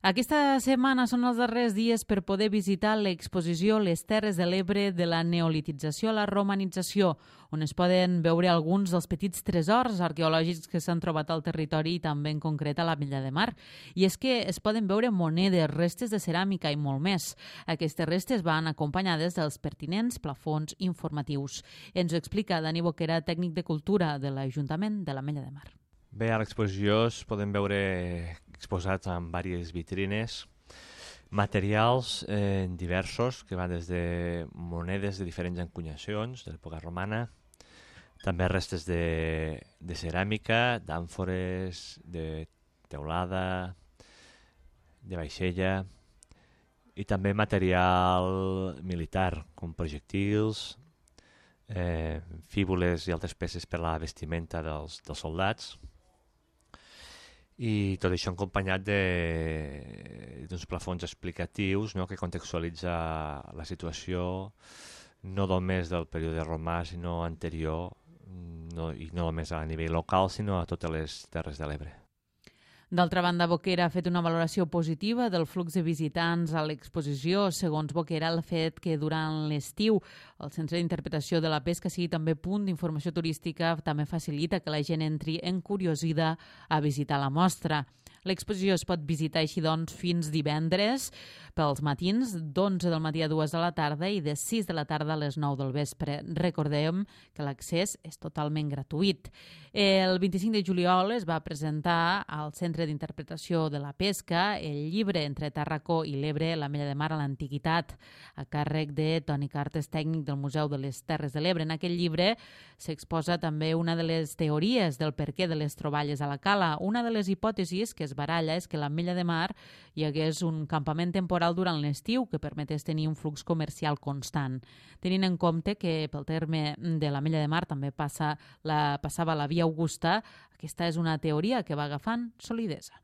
Aquesta setmana són els darrers dies per poder visitar l'exposició Les Terres de l'Ebre de la neolitització a la romanització, on es poden veure alguns dels petits tresors arqueològics que s'han trobat al territori i també en concret a l'Ametlla de Mar. I és que es poden veure monedes, restes de ceràmica i molt més. Aquestes restes van acompanyades dels pertinents plafons informatius. Ens ho explica Dani Boquera, tècnic de cultura de l'Ajuntament de l'Ametlla de Mar. Bé, a l'exposició es poden veure exposats en diverses vitrines materials diversos que van des de monedes de diferents encunyacions de l'època romana, també restes de ceràmica, d'àmfores, de teulada, de vaixella i també material militar com projectils, fíbules i altres peces per a la vestimenta dels soldats. I tot això acompanyat d'uns plafons explicatius, no?, que contextualitza la situació no només del període romà, sinó anterior, i no només a nivell local, sinó a totes les Terres de l'Ebre. D'altra banda, Boquera ha fet una valoració positiva del flux de visitants a l'exposició. Segons Boquera, el fet que durant l'estiu el Centre d'Interpretació de la Pesca sigui també punt d'informació turística també facilita que la gent entri encuriosida a visitar la mostra. L'exposició es pot visitar així doncs fins divendres pels matins, d'11 del matí a 2 de la tarda i de 6 de la tarda a les 9 del vespre. Recordem que l'accés és totalment gratuït. El 25 de juliol es va presentar al Centre d'Interpretació de la Pesca el llibre Entre Tàrraco i l'Ebre, l'Ametlla de Mar a l'Antiguitat, a càrrec de Toni Cartes, tècnic del Museu de les Terres de l'Ebre. En aquest llibre s'exposa també una de les teories del perquè de les troballes a la cala. Una de les hipòtesis que es baralla és que a l'Ametlla de Mar hi hagués un campament temporal durant l'estiu que permetés tenir un flux comercial constant. Tenint en compte que pel terme de l'Ametlla de Mar també passava la Via Augusta, aquesta és una teoria que va agafant solidesa.